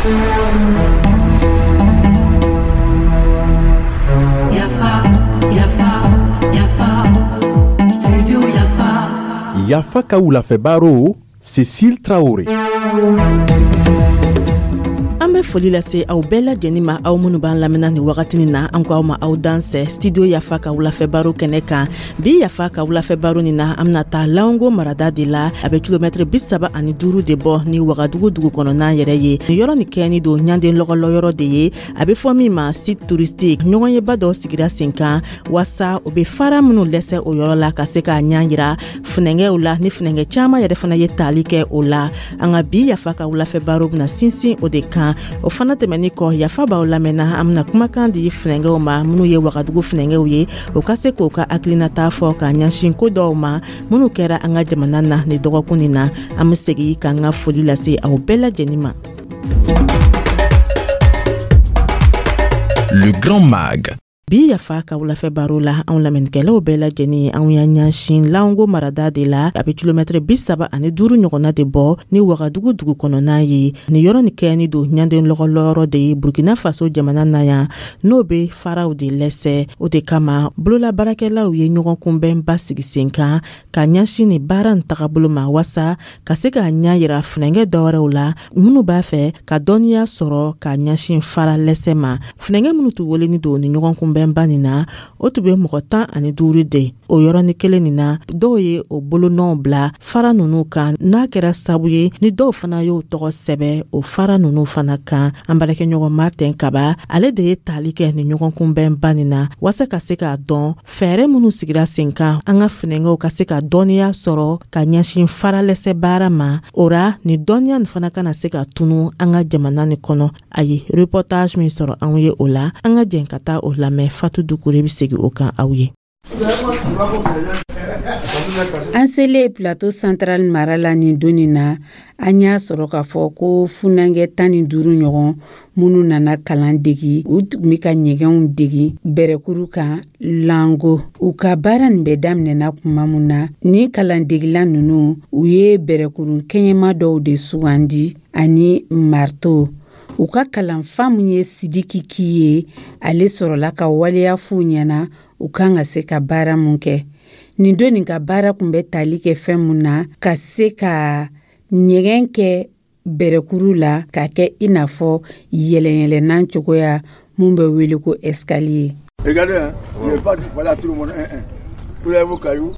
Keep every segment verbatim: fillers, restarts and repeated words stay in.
Yafa, Yafa, Yafa, Studio Yafa. Yafa ka wulafɛ baro, Cécile Traoré. An bɛ foli lase aw bɛɛ lajɛnin ma, aw minnu b'an lamɛnna nin wagatinin na. An ko aw ma aw dansɛ Studio Yafa ka wulafɛ baro kɛnɛ kan. Bi Yafa ka wulafɛ baro nin na, an bɛna taa Lango marada de la. A bɛ kilomɛtiri bi saba ani duuru de bɔ ni Wagadugu dugu kɔnɔna yɛrɛ ye. Nin yɔrɔ nin kɛni don ɲanden lɔgɔlɔyɔrɔ de ye, a bɛ fɔ min ma site touristique. Ɲɔgɔnyeba dɔ sigira sen kan waasa o bɛ fara minnu lɛsɛ o yɔrɔ la, ka se k'a ɲɛ yira funɛngɛw la, ni funɛngɛ caman yɛrɛ fana ye taali kɛ o la. An ka bi Yafa ka wulafɛ baro bɛna sinsin o de kan. O fana tɛmɛni kɔ, Yafa b'aw lamɛnna, an bɛna kumakan di funɛngɛw ma minnu ye Wagadugu funɛngɛw ye, o ka se k'o ka hakilinata fɔ k'a ɲɛsin ko dɔw ma minnu kɛra an ka jamana na ni dɔgɔkun nin na. An be segi k'an ka foli lase aw bɛɛ lajɛnin ma. Le Grand Mag. Bi Yafa ka wulafɛ baro la, anw lamɛnnikɛlaw bɛɛ lajɛnin, anw y'a ɲɛsin Lango marada de la. A bɛ kilomɛtiri bi saba ani duuru ɲɔgɔnna de bɔ ni Wagadugu dugu kɔnɔna ye. Nin yɔrɔ nin kɛni don ɲanden lɔgɔlɔyɔrɔ de ye Burkina Faso jamana na yan, n'o bɛ faraw de lɛsɛ. O de kama bolola baarakɛlaw ye ɲɔgɔn kunbɛnba sigi sen kan ka ɲɛsin nin baara nin tagabolo ma, waasa ka se k'a ɲɛ yira funɛngɛ dɔwɛrɛw la minnu b'a fɛ ka dɔnniya sɔrɔ ka ɲɛsin fara lɛsɛ ma. Funɛngɛ minnu tun weleni don ni ɲɔgɔn kunbɛnba nin na, o tun bɛ mɔgɔ tan ani duuru de. O yɔrɔnin kelen nin na, dɔw ye o bolonɔw bila fara ninnu kan, n'a kɛra sabu ye ni dɔw fana y'o tɔgɔ sɛbɛ o fara ninnu fana kan. An baarakɛɲɔgɔn Martin Kaba, ale de ye taali kɛ nin ɲɔgɔn kunbɛnba nin na waasa ka se k'a dɔn fɛɛrɛ minnu sigira sen kan an ka funɛngɛw ka se ka dɔnniya sɔrɔ ka ɲɛsin faralɛsɛ baara ma. O ra, nin dɔnniya nin fana kana se ka tunu an ka jamana nin kɔnɔ. A ye reportage min sɔrɔ anw ye o la, an ka jɛn ka taa o lamɛn. Fatu Dukure bɛ segin o kan aw ye. An selen Plateau Central mara la nin don nin na, an y'a sɔrɔ k'a fɔ ko funankɛ tan ni duuru ɲɔgɔn minnu nana kalan degi, u tun bɛ ka ɲɛgɛnw degi bɛrɛkuru kan Lango. U ka baara nin bɛ daminɛna kuma min na, ni kalandegila ninnu, u ye bɛrɛkurun kɛɲɛma dɔw de sugandi ani marteau. U ka kalanfa min ye Sidiki Ki ye, ale sɔrɔla ka waleya f'u ɲɛna u kan ka se ka baara mun kɛ. Nin don nin ka baara kun bɛ tali kɛ fɛn mun na, ka se ka ɲɛgɛn kɛ bɛrɛkuru la k'a kɛ i n'a fɔ yɛlɛyɛlɛnnan cogoya mun bɛ wele ko escalier. Regardez, hein, je ne vais pas parler à tout le monde un, un. Vous avez vos cailloux.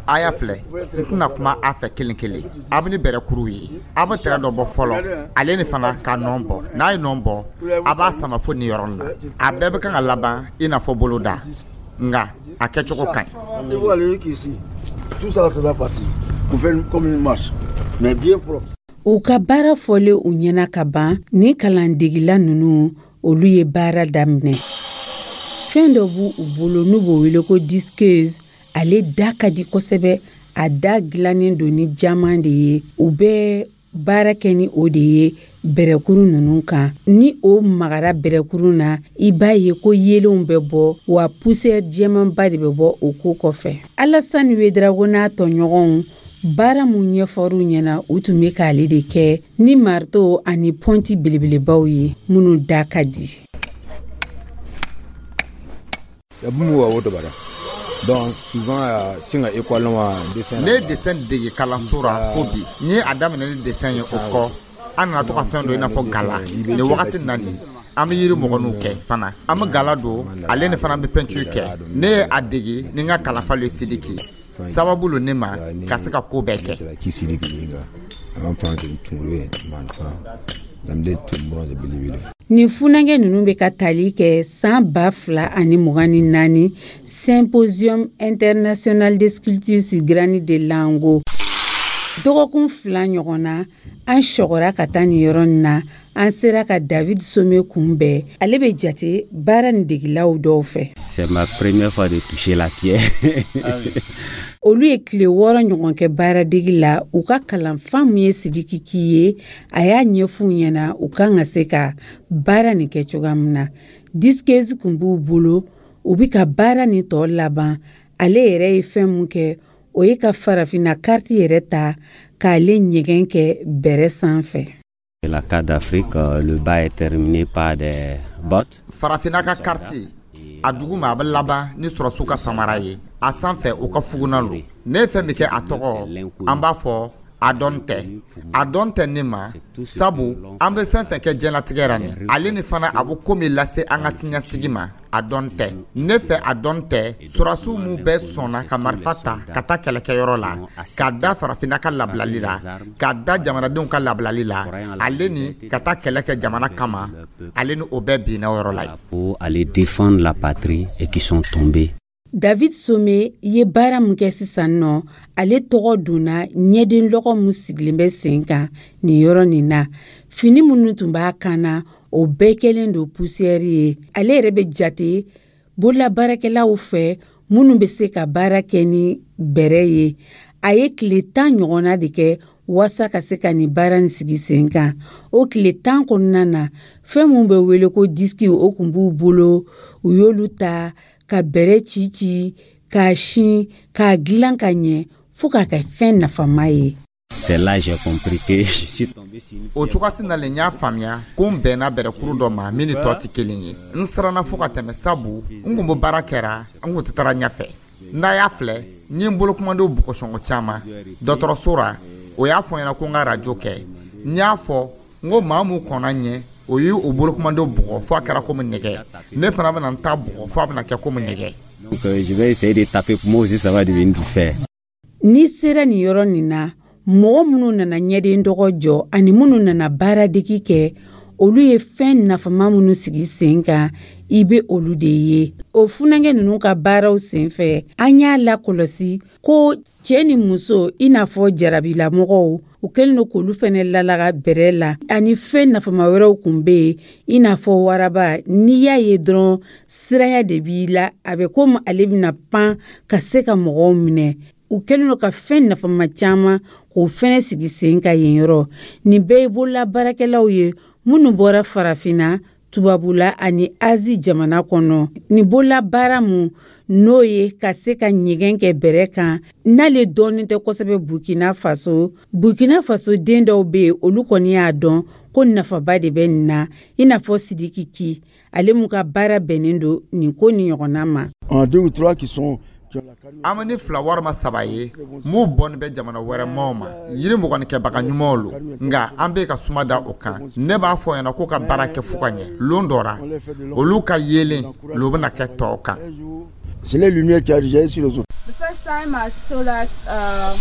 A y'a filɛ, n tɛna kuma a fɛ kelen kelen. A bɛ ni bɛrɛkuru ye, a bɛ tɛrɛ dɔ bɔ fɔlɔ, ale ni fana ka nɔn bɔ. N'a ye nɔn bɔ, a b'a sama fo nin yɔrɔ na. A bɛɛ bɛ kan ka laban i n'a fɔ boloda, nka a kɛcogo ka ɲi. Et vous allez ici. Tout ça, ça doit partir. Pour faire comme une marche. Mais bien propre. U ka baara fɔlen u ɲɛna ka ban, ni kalandegila ninnu, olu ye baara daminɛ. Fɛn dɔ b'u u bolo n'u b'o wele ko disqueuse. Ale da ka di kosɛbɛ, a da dilannen don ni jaman de ye. U bɛ baara kɛ ni o de ye bɛrɛkuru ninnu kan. Ni o magara bɛrɛkuru na, i b'a ye ko yeelenw bɛ bɔ, wa poussière jɛmanba de bɛ bɔ o ko kɔfɛ. Alasani Wedrago n'a tɔɲɔgɔnw, baara mun ɲɛfɔr'u ɲɛna, u tun bɛ k'ale de kɛ ni marteau ani pɔnti belebelebaw ye minnu da ka di. Ne ye dessin dege kalanso ra fo bi. N ye a daminɛ ni dessin ye. O kɔ, an nana to ka fɛn dɔ i n'a fɔ gala. Nin wagati na nin, an bɛ yiri mɔgɔninw kɛ fana, an bɛ gala don, ale ni fana bɛ peinture kɛ. Ne ye a dege ni n ka kalanfa ye Sidiki. Sababu lo ne ma ka se ka ko bɛɛ kɛ. Nin funankɛ ninnu bɛ ka tali kɛ san ba fila ani mugan ni naani Symposium international de sculpture sur granit de Lango. Dɔgɔkun fila ɲɔgɔn na, an sɔgɔra ka taa nin yɔrɔ nin na. An sera ka David Some kunbɛn. Ale bɛ jate baara nin degilaw dɔw fɛ. C'est ma première fois de toucher la pierre. Olu ye tile wɔɔrɔ ɲɔgɔn kɛ baaradegi la. U ka kalanfa min ye Sidiki Ki ye, a y'a ɲɛf'u ɲɛna u kan ka se ka baara nin kɛ cogoya min na. Disqueuse kun b'u bolo, u bi ka baara nin tɔ laban. Ale yɛrɛ ye fɛn mun kɛ, o ye ka farafinna kariti yɛrɛ ta k'ale ɲɛgɛn kɛ bɛrɛ sanfɛ. La carte d'Afrique, le bas est terminé par des bottes. Farafinna ka carte, a duguma a bɛ laban ni sɔrɔsiw ka samara ye, a sanfɛ u ka fuguna lo. Ne ye fɛn min kɛ, a tɔgɔ an b'a fɔ a dɔn tɛ, a dɔn tɛ ne ma, sabu an bɛ fɛn fɛn kɛ diɲɛlatigɛ ra nin, ale ni fana a bɛ ko min lase an ka siniɲɛsigi ma, a dɔn tɛ ne fɛ. A dɔn tɛ sɔrɔsiw minnu bɛɛ sɔnna ka marifa ta ka taa kɛlɛkɛyɔrɔ la, k'a da farafinna ka labilali la, k'a da jamanadenw ka labilali la, ale ni ka taa kɛlɛ kɛ jamana kama, ale ni o bɛɛ binna o yɔrɔ la. Pour aller défendre la patrie et qui sont tombés. David Some ye baara min kɛ sisan nɔ, ale tɔgɔ donna ɲɛden lɔgɔ min sigilen bɛ sen kan nin yɔrɔ nin na. Fini minnu tun b'a kan na, o bɛɛ kɛlen don poussière ye. Ale yɛrɛ bɛ jate bololabaarakɛlaw fɛ minnu bɛ se ka baara kɛ ni bɛrɛ ye. A ye tile tan ɲɔgɔnna de kɛ waasa ka se ka nin baara nin sigi sen kan. O tile tan kɔnɔna na, fɛn min bɛ wele ko disque, o kun b'u bolo, u y'olu ta ka bɛrɛ ci ci, k'a sin, k'a dilan ka ɲɛ fo k'a kɛ fɛn nafama ye. C'est là j'ai compris que je suis tombé sur une O cogoyasi nalen, n y'a faamuya ko n bɛnna bɛrɛkuru dɔ ma min ni tɔ tɛ kelen ye. N siranna fo ka tɛmɛ, sabu n kun bɛ baara kɛra, n kun tɛ taara ɲɛfɛ. N'a y'a filɛ, n ye n bolokumadenw bugɔsɔngɔ caman dɔgɔtɔrɔso ra. O y'a fɔ n ɲɛna ko n ka radio kɛ. N y'a fɔ n ko maa mun kɔnna ɲɛ, o ye o bolokumadenw bugɔ fo a kɛra komi nɛgɛ, ne fana bɛna n ta bugɔ fo a bɛna kɛ komi nɛgɛ. Donc euh, je vais essayer de taper pour moi aussi, ça va devenir du fer. N'i sera nin yɔrɔ nin na, mɔgɔ minnu nana ɲɛden dɔgɔ jɔ ani minnu nana baaradegi kɛ, olu ye fɛn nafama minnu sigi sen kan, i bɛ olu de ye. O funankɛ ninnu ka baaraw sen fɛ, an y'a lakɔlɔsi ko cɛɛ ni muso, i n'a fɔ jarabilamɔgɔw, u kɛlen don k'olu fɛnɛ lalaga bɛrɛ la, ani fɛn nafama wɛrɛw kun be yen, i n'a fɔ waraba. N'i y'a ye dɔrɔn, siranya de b'i la, a bɛ komi ale bɛna pan ka se ka mɔgɔw minɛ. U kɛlen don ka fɛn nafama caman k'o fɛnɛ sigi sen ka yen yɔrɔ. Nin bɛɛ ye bololabaarakɛlaw ye minnu bɔra Farafinna, tubabula ani Azi jamana kɔnɔ. Nin bololabaara mun n'o ye ka se ka ɲɛgɛn kɛ bɛrɛ kan, n'ale dɔɔnin tɛ kosɛbɛ Burkina Faso. Burkina Faso den dɔw bɛ yen, olu kɔni y'a dɔn ko nafaba de bɛ nin na, i n'a fɔ Sidiki Ki, ale mun ka baara bɛnnen don nin ko ni ɲɔgɔnna ma. En deux ou trois qui sont qui ont la carrure. An bɛ ni fila walima saba ye m'u bɔnni bɛ jamana wɛrɛ maaw ma, yiri mɔgɔninkɛbaga ɲumanw lo, nka an bɛ ka suma da o kan. Ne b'a fɔ ɲɛna k'u ka baara kɛ fo ka ɲɛ. Lon dɔ ra, olu ka yeelen lo bɛna kɛ tɔw kan. Un jour, c'est les lumières qui a jailli sur les autres. The first time I saw that, uh,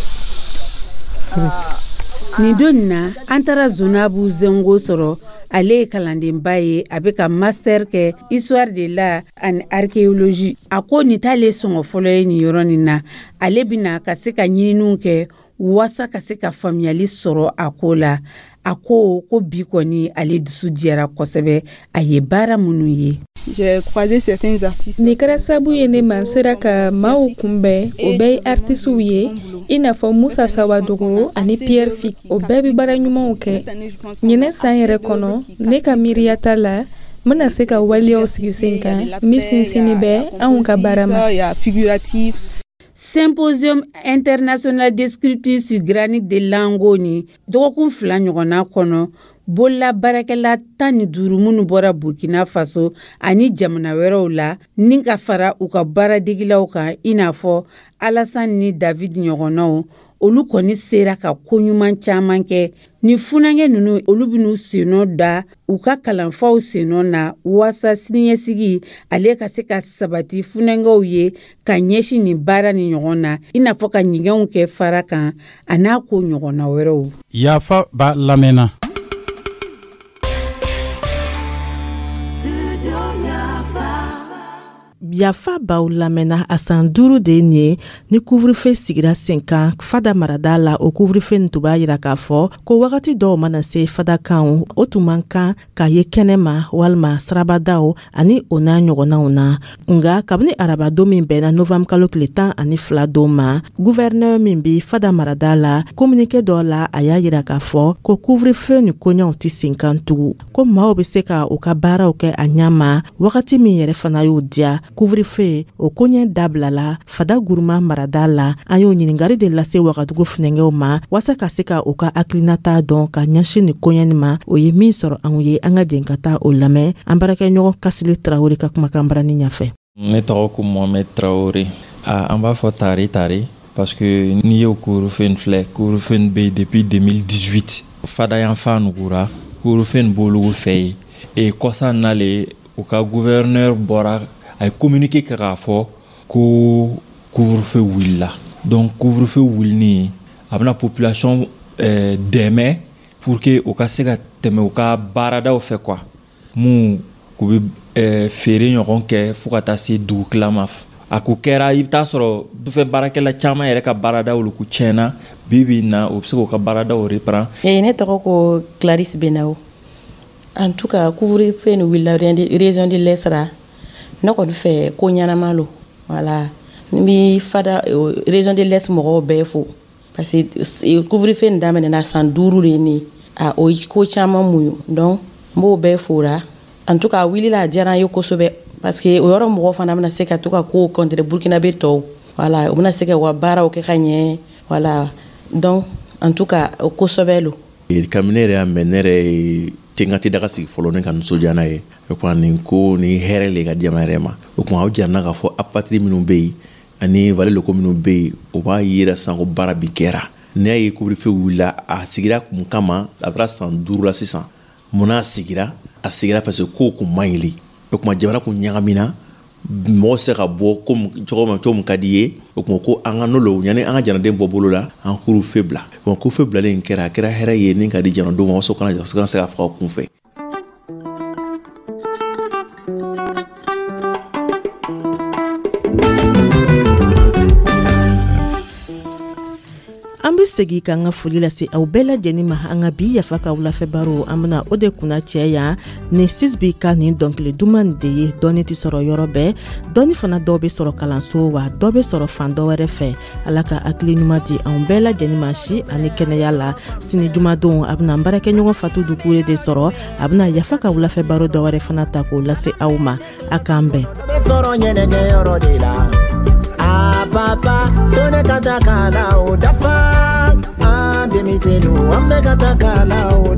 uh, Nin don nin na, an taara Zonabu Zengo sɔrɔ. Ale ye kalandenba ye, a bɛ ka master kɛ histoire de l'art ani archéologie. A ko nin t'ale sɔngɔ fɔlɔ ye nin yɔrɔ nin na. Ale bɛna ka se ka ɲininiw kɛ waasa ka se ka faamuyali sɔrɔ a ko la. A ko ko bi kɔni, ale dusu diyara kosɛbɛ a ye baara minnu ye. J'ai croisé certains artistes. Nin kɛra sabu ye ne ma n sera ka maaw kunbɛn. O bɛɛ ye artisiw ye, i n'a fɔ Musa Sawadogo ani Pierre Fick. O bɛɛ bɛ baara ɲumanw kɛ. Ɲinɛ san yɛrɛ kɔnɔ, ne ka miiriyata la, n bɛna se ka waleyaw sigi sen kan min sinsinni bɛ anw ka baara ma. Il y a figuratif. Symposium international de sculpture sur granit de Lango ni dɔgɔkun fila ɲɔgɔnna kɔnɔ, bololabaarakɛla tan ni duuru minnu bɔra Burkina Faso ani jamana wɛrɛw la, ni ka fara u ka baaradegilaw kan, i n'a fɔ Alassane ni David ɲɔgɔnnaw, olu kɔni sera ka koɲuman caman kɛ. Ni funankɛ ninnu, olu bɛn'u sennɔ da u ka kalanfaw sennɔ na waasa siniɲɛsigi ale ka se ka sabati funankɛw ye ka ɲɛsin nin baara ni ɲɔgɔn na, i n'a fɔ ka ɲɛgɛnw kɛ fara kan a n'a ko ɲɔgɔnna wɛrɛw. Yafa b'a lamɛnna. Studio Yafa. Yafa baw lamɛnna. A san duuru de ye nin ye ni couvre-feu sigira sen kan Fada marada la. O couvre-feu nin tun b'a yira k'a fɔ ko wagati dɔw mana se, fadakanw o tun man kan k'a ye kɛnɛ ma walima sirabadaw ani o n'a ɲɔgɔnnaw na. Nga kabini arabadon min bɛnna novanburu kalo tile tan ani fila don ma, gouverneur min bi Fada marada la, communiqué dɔ la, a y'a yira k'a fɔ ko couvre-feu ni koɲaw tɛ sen kan tugun, ko maaw be se ka u ka baaraw kɛ a ɲa ma wagati min yɛrɛ fana y'o diya. couvre-feu o koɲɛ dabilala Fada Guruma marada la. An y'o ɲiningari de lase Wagadugu funɛngɛw ma waasa ka se ka u ka hakilinata dɔn ka ɲɛsin nin koɲɛ nin ma. O ye min sɔrɔ anw ye, an ka jɛn ka taa o lamɛn an baarakɛɲɔgɔn Kasili Tarawele ka kumakan barani ɲɛfɛ. Ne tɔgɔ ko Mohamed Traoré. Ah, an b'a fɔ tare tare parce que n'i y'o couvre-feu nin filɛ, couvre-feu nin bɛ yen depuis deux mille dix-huit. Fada yanfan nugura, couvre-feu nin b'olu fɛ yen. E kɔsa nale, u ka gouverneur bɔra, a ye communiqué kɛ k'a fɔ ko couvre-feu wulila. Donc couvre-feu wulini, a bɛna population euh, dɛmɛ pour que u ka se ka tɛmɛ u ka baaradaw fɛ quoi, mun k'u bɛ euh, feere ɲɔgɔn kɛ fo ka taa se dugutila ma. A ko kɛra, i bɛ taa sɔrɔ dufɛ baarakɛla caman yɛrɛ ka baaradaw olu ku tiɲɛna. Bi bi in na, u bɛ se k'u ka baaradaw reprend. Eh, ne tɔgɔ ko Clarisse Benawo. En tout cas, couvre-feu ni wulila région de l'Est ra, ne kɔni fɛ ko ɲɛnama lo. Voilà, n bi Fada région de l'Est mɔgɔw bɛɛ fo parce que couvre-feu nin daminɛna san duuru de ye nin ye. A o ye ko caman muɲu, donc n b'o bɛɛ fora. En tout cas, a wulila, a diyara n ye kosɛbɛ parce que o yɔrɔ mɔgɔw fana bɛna se ka to ka kow contre Burkinabé tɔw. Voilà, u bɛna se ka u ka baaraw kɛ ka ɲɛ. Voilà, donc en tout cas, o kosɛbɛ lo. Kabini ne yɛrɛ y'a mɛn, ne yɛrɛ ye tɛ n ka tɛ daga sigi fɔlɔ, ne ka nisɔndiya n'a ye. O kuma nin ko ni hɛrɛ le ka di jama yɛrɛ ma. O kuma aw jara k'a fɔ apatrides minnu bɛ yen ani vallée locaux minnu bɛ yen, o b'a yira sisan ko baara bi kɛra. N'i y'a ye couvre-feu wulila, a sigira kun kama, a taara san duuru la sisan. Munna a sigira? A sigira parce que kow kun man ɲi le. O kuma jamana kun ɲagamina, mɔgɔ se ka bɔ komi cogo min cogo min ka di ye. O kuma ko an ka n'o yanni an ka jamanaden bɔ bolo la, an couvre-feu bila. Bon, couvre-feu bilalen kɛra, a kɛra hɛrɛ ye ni ka di jamanadenw ma, waasa kana se ka faga kun fɛ. An be segi k'an ka foli lase aw bɛɛ lajɛnin ma. An ka bi Yafa ka wulafɛ baro, an bena o de kunna cɛ yan ni Sisbi ka nin dɔnkili duman de ye. Dɔɔni tɛ sɔrɔ yɔrɔ bɛɛ, dɔɔni fana dɔw be sɔrɔ kalanso wa dɔ be sɔrɔ fan dɔ wɛrɛ fɛ. Ala ka hakili ɲuman di anw bɛɛ lajɛnin ma si ani kɛnɛya la. Sini jumadon, a bena n baarakɛɲɔgɔn Fatu Dukure de sɔrɔ, a bena Yafa ka wulafɛ baro dɔ wɛrɛ fana ta k'o lase aw ma. A k'an bɛn. A papa to ne ka taa ka la o dafa, an denmisɛnninw an bɛ ka taa ka la o.